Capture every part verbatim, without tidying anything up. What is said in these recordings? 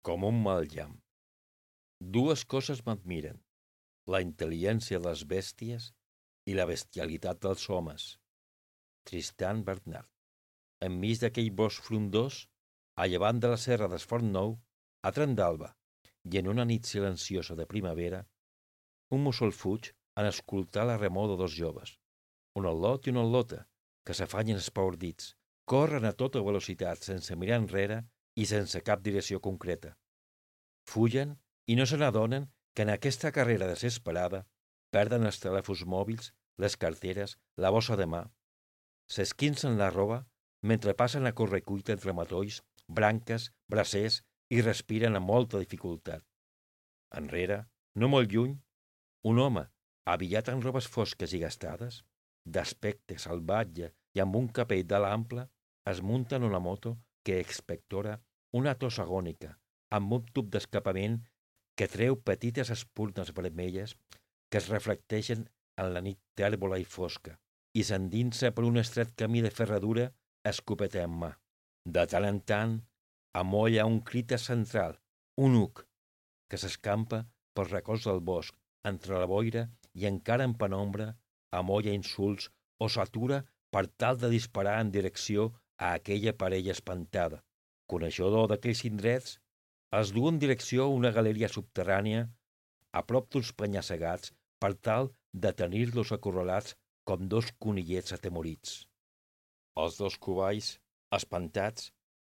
com un mal llamp. Dues coses m'admiren: la intel·ligència de les bèsties i la bestialitat dels homes. Tristan Bernard. Enmig d'aquell bosc frondós, a llevant de la serra d'Esfort Nou, a tren d'alba, i en una nit silenciosa de primavera, un mussol fuig en escoltar la remor de dos joves, un al·lot i una al·lota, que s'afanyen espaordits, corren a tota velocitat sense mirar enrere i sense cap direcció concreta. Fugen i no se n'adonen que en aquesta carrera desesperada perden els telèfons mòbils, les carteres, la bossa de mà. S'esquincen la roba mentre passen a correcuita entre matolls, branques, bracers i respiren amb molta dificultat. Enrere, no molt lluny, un home, abillat en robes fosques i gastades, d'aspecte salvatge i amb un capell d'ala ample, es munta en una moto que expectora una tos agònica, amb un tub d'escapament que treu petites espurnes vermelles que es reflecteixen en la nit tèrbola i fosca i s'endinsa per un estret camí de ferradura escopeta en mà. De tant en tant, amolla un crit central, un uc, que s'escampa pels racons del bosc, entre la boira i encara en penombra, amolla insults o s'atura per tal de disparar en direcció a aquella parella espantada. Coneixedor d'aquells indrets, els du en direcció a una galeria subterrània a prop d'uns penya-segats per tal de tenir-los acorralats com dos conillets atemorits. Els dos covalls, espantats,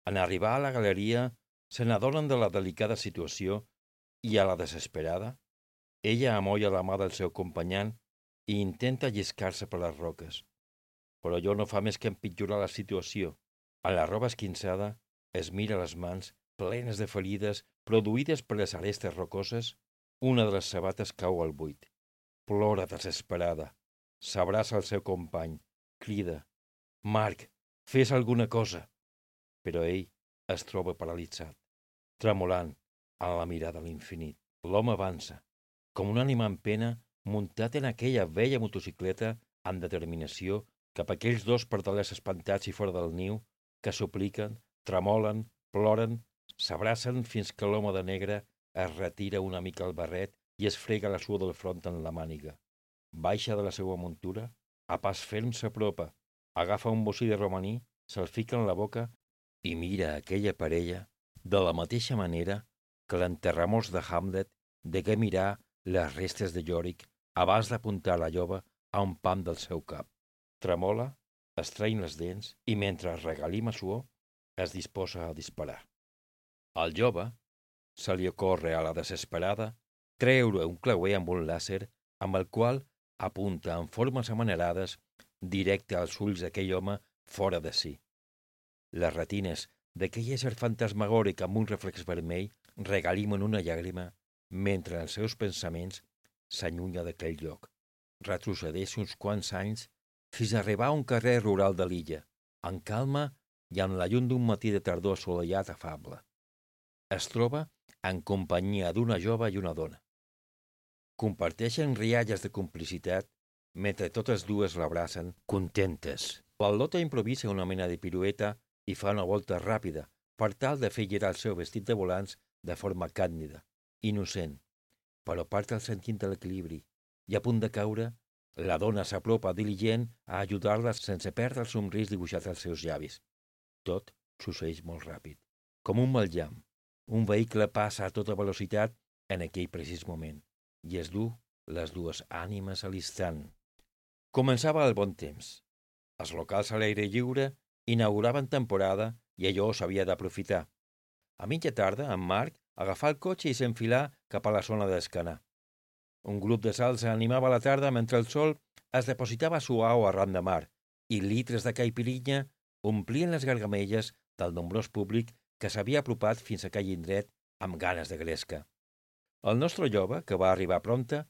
en arribar a la galeria, se n'adonen de la delicada situació i, a la desesperada, ella amolla la mà del seu companyant i intenta lliscar-se per les roques. Però allò no fa més que empitjorar la situació. A la roba esquinçada es mira les mans plenes de ferides produïdes per les arestes rocoses. Una de les sabates cau al buit. Plora desesperada. S'abraça al seu company. Crida: «Marc, fes alguna cosa!» Però ell es troba paralitzat, tremolant en la mirada a l'infinit. L'home avança, com un ànima en pena, muntat en aquella vella motocicleta amb determinació cap a aquells dos pardalers espantats i fora del niu que supliquen, tremolen, ploren, s'abracen fins que l'home de negre es retira una mica el barret i es frega la suor del front en la màniga. Baixa de la seva muntura, a pas ferm s'apropa, agafa un bocí de romaní, se'l fica en la boca i mira aquella parella de la mateixa manera que l'enterramors de Hamlet degué mirar les restes de Yorick abans d'apuntar la llova a un pam del seu cap. Tremola, estreny les dents i, mentre es regalima suor, es disposa a disparar. Al jove se li ocorre a la desesperada treure un clauer amb un làser amb el qual apunta en formes amanerades directe als ulls d'aquell home fora de si. Les retines d'aquell ésser fantasmagòric amb un reflex vermell regalimen una llàgrima mentre els seus pensaments s'allunya d'aquell lloc. Retrocedeix uns quants anys fins a arribar a un carrer rural de l'illa, en calma i amb la llum d'un matí de tardor assolellat afable. Es troba en companyia d'una jove i una dona. Comparteixen rialles de complicitat mentre totes dues l'abracen, contentes. L'al·lota improvisa una mena de pirueta i fa una volta ràpida per tal de fer girar el seu vestit de volants de forma càndida, innocent, però part el sentint de l'equilibri i a punt de caure, la dona s'apropa diligent a ajudar-la sense perdre el somrís dibuixat als seus llavis. Tot succeeix molt ràpid, com un mal llamp. Un vehicle passa a tota velocitat en aquell precís moment i es du les dues ànimes a l'instant. Començava el bon temps. Els locals a l'aire lliure inauguraven temporada i allò s'havia d'aprofitar. A mitja tarda, en Marc agafà el cotxe i s'enfilà cap a la zona d'Escanar. Un grup de salsa animava la tarda mentre el sol es depositava suau arran de mar i litres de caipirinha omplien les gargamelles del nombrós públic que s'havia apropat fins a aquell indret amb ganes de gresca. El nostre jove, que va arribar prompte,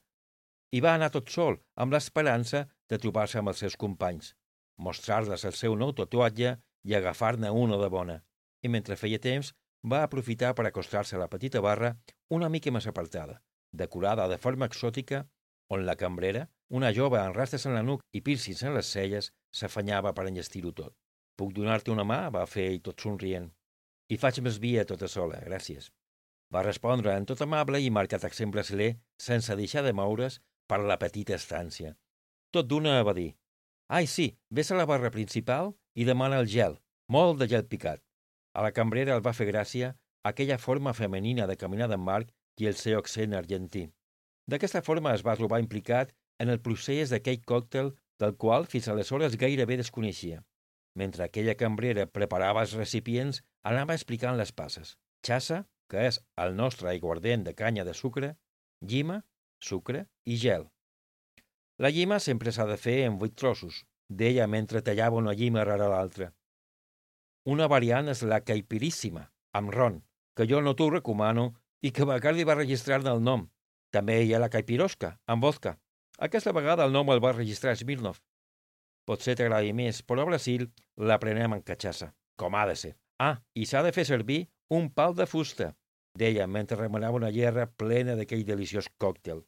hi va anar tot sol amb l'esperança de trobar-se amb els seus companys, mostrar-les el seu nou tatuatge i agafar-ne una de bona, i mentre feia temps va aprofitar per acostar-se a la petita barra una mica més apartada, decorada de forma exòtica, on la cambrera, una jove amb rastres en la nuca i pírcings en les celles, s'afanyava per enllestir-ho tot. «Puc donar-te una mà?», va fer ell tot somrient. «Hi faig més via tota sola, gràcies». va respondre en tot amable i marcat exemple brasiler, sense deixar de moure's per la petita estància. Tot d'una va dir: «Ai, sí, vés a la barra principal i demana el gel, molt de gel picat». A la cambrera el va fer gràcia aquella forma femenina de caminar d'en Marc i el seu accent argentí. D'aquesta forma es va trobar implicat en el procés d'aquell còctel del qual fins aleshores gairebé desconeixia. Mentre aquella cambrera preparava els recipients, anava explicant les passes. Xassa, que és el nostre aiguardent de canya de sucre, llima, sucre i gel. La llima sempre s'ha de fer en vuit trossos, deia mentre tallava una llima rere l'altra. Una variant és la caipiríssima, amb ron, que jo no t'ho recomano i que Bacardi va registrar-ne el nom. També hi ha la caipirosca, amb vodka. Aquesta vegada el nom el va registrar Smirnoff. Potser t'agradi més, però a Brasil la prenem en catxassa, com ha de ser. Ah, i s'ha de fer servir un pal de fusta, deia mentre remenava una gerra plena d'aquell deliciós còctel.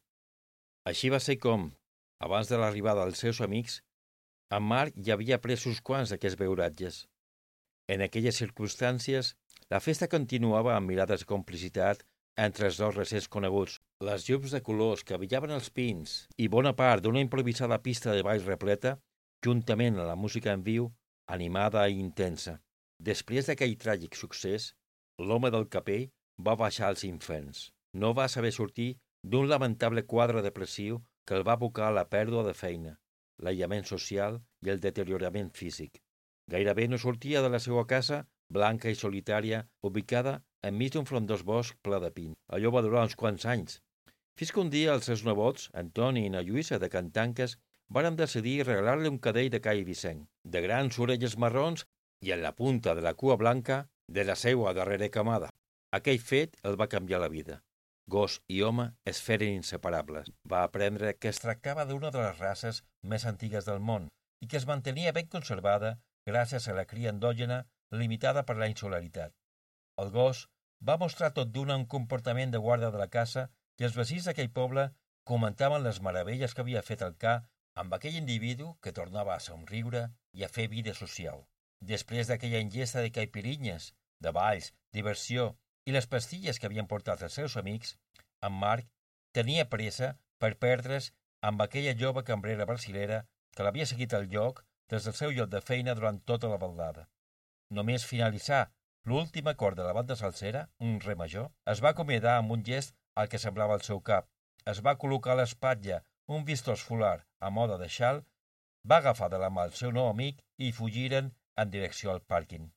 Així va ser com, abans de l'arribada dels seus amics, en Marc ja havia pres uns quants d'aquests beuratges. En aquelles circumstàncies, la festa continuava amb mirades de complicitat entre els dos recents coneguts. Les llums de colors que brillaven els pins i bona part d'una improvisada pista de ball repleta, juntament a la música en viu, animada i intensa. Després d'aquell tràgic succés, l'home del capell va baixar als inferns. No va saber sortir d'un lamentable quadre depressiu que el va abocar a la pèrdua de feina, l'aïllament social i el deteriorament físic. Gairebé no sortia de la seva casa, blanca i solitària, ubicada enmig d'un frondós bosc ple de pins. Allò va durar uns quants anys, fins que un dia els seus nebots, Antoni i na Lluïsa de Cantanques, varen decidir regalar-li un cadell de Cai Vicent, de grans orelles marrons i en la punta de la cua blanca de la seua darrera camada. Aquell fet el va canviar la vida. Gos i home es feren inseparables. Va aprendre que es tractava d'una de les races més antigues del món i que es mantenia ben conservada gràcies a la cria endògena limitada per la insolaritat. El gos va mostrar tot d'una un comportament de guarda de la casa i els veïns d'aquell poble comentaven les meravelles que havia fet el ca amb aquell individu que tornava a somriure i a fer vida social. Després d'aquella ingesta de caipirinyes, de balls, diversió i les pastilles que havien portat els seus amics, en Marc tenia pressa per perdre's amb aquella jove cambrera brasilera que l'havia seguit al lloc des del seu lloc de feina durant tota la baldada. Només finalitzar l'últim acord de la banda salsera, un re major, es va acomiadar amb un gest al que semblava el seu cap. Es va col·locar a l'espatlla un vistós folar a moda de xal, va agafar de la mà el seu nou amic i fugiren en direcció al pàrquing.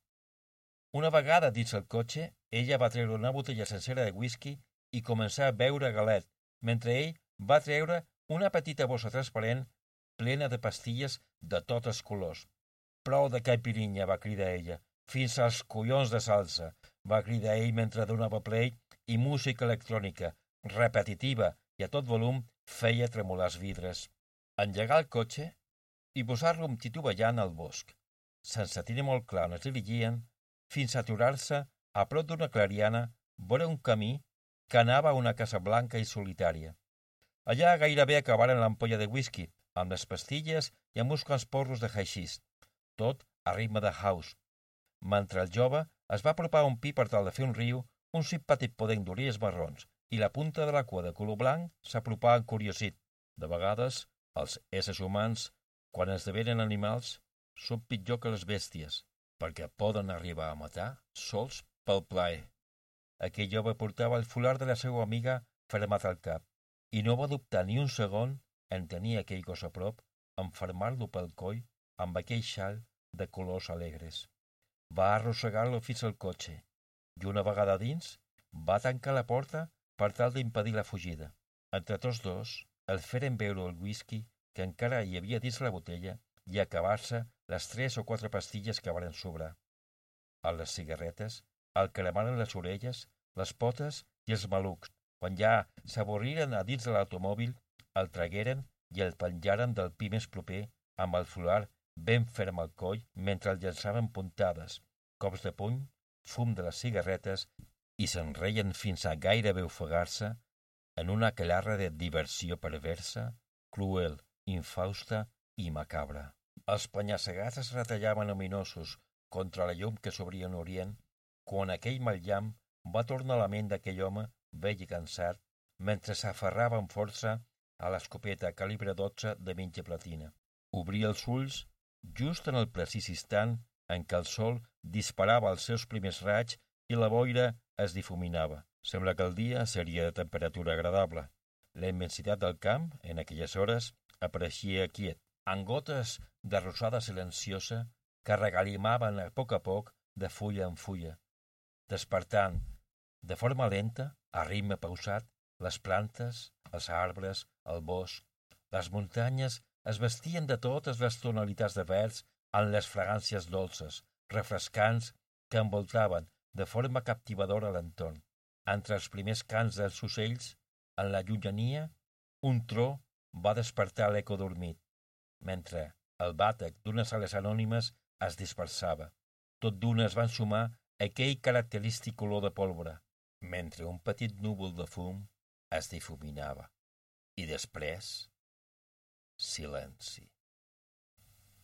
Una vegada dins el cotxe, ella va treure una botella sencera de whisky i començar a beure galet, mentre ell va treure una petita bossa transparent plena de pastilles de tots els colors. «Prou de caipirinha», va cridar ella. «Fins als collons de salsa», va cridar ell mentre donava play i música electrònica, repetitiva i a tot volum, feia tremolar els vidres. Engegar el cotxe i posar-lo tituballant al bosc, sense tenir molt clar on es dirigien, fins a aturar-se a prop d'una clariana vora un camí que anava a una casa blanca i solitària. Allà gairebé acabaren l'ampolla de whisky, amb les pastilles i amb uns quants porros de haixís, tot a ritme de house. Mentre el jove es va apropar a un pi per tal de fer un riu, un simpàtic podenc d'orelles marrons i la punta de la cua de color blanc s'apropà encuriosit. De vegades, els éssers humans, quan esdevenen animals, són pitjor que les bèsties, perquè poden arribar a matar sols pel plaer. Aquell jove portava el folar de la seva amiga fermat al cap i no va dubtar ni un segon en tenir aquell gos a prop, enfermar-lo pel coll amb aquell xal de colors alegres. Va arrossegar-lo fins al cotxe i una vegada dins va tancar la porta per tal d'impedir la fugida. Entre tots dos el feren beure el whisky que encara hi havia dins la botella i acabar-se les tres o quatre pastilles que varen sobrar. A les cigarretes el cremaren les orelles, les potes i els malucs. Quan ja s'avorriren a dins de l'automòbil, el tragueren i el penjaren del pi més proper amb el folar ben ferm al coll mentre el llançaven puntades, cops de puny, fum de les cigarretes i se'n reien fins a gairebé ofegar-se en una aquelarre de diversió perversa, cruel, infausta i macabra. Els penya-segats es retallaven ominosos contra la llum que s'obria en orient quan aquell mal llamp va tornar a la ment d'aquell home vell i cansat mentre s'aferrava amb força a l'escopeta calibre dotze de mitja platina. Obria els ulls just en el precís instant en què el sol disparava els seus primers raigs i la boira es difuminava. Sembla que el dia seria de temperatura agradable. La immensitat del camp, en aquelles hores, apareixia quiet, amb gotes de rosada silenciosa que regalimaven a poc a poc de fulla en fulla, despertant de forma lenta, a ritme pausat, les plantes, els arbres, el bosc. Les muntanyes es vestien de totes les tonalitats de verds en les fragàncies dolces, refrescants, que envoltaven de forma captivadora l'entorn. Entre els primers cants dels ocells, en la llunyania, un tro va despertar l'eco dormit, mentre el bàtec d'unes ales anònimes es dispersava. Tot d'una es van sumar aquell característic olor de pólvora, mentre un petit núvol de fum es difuminava. I després, silenci.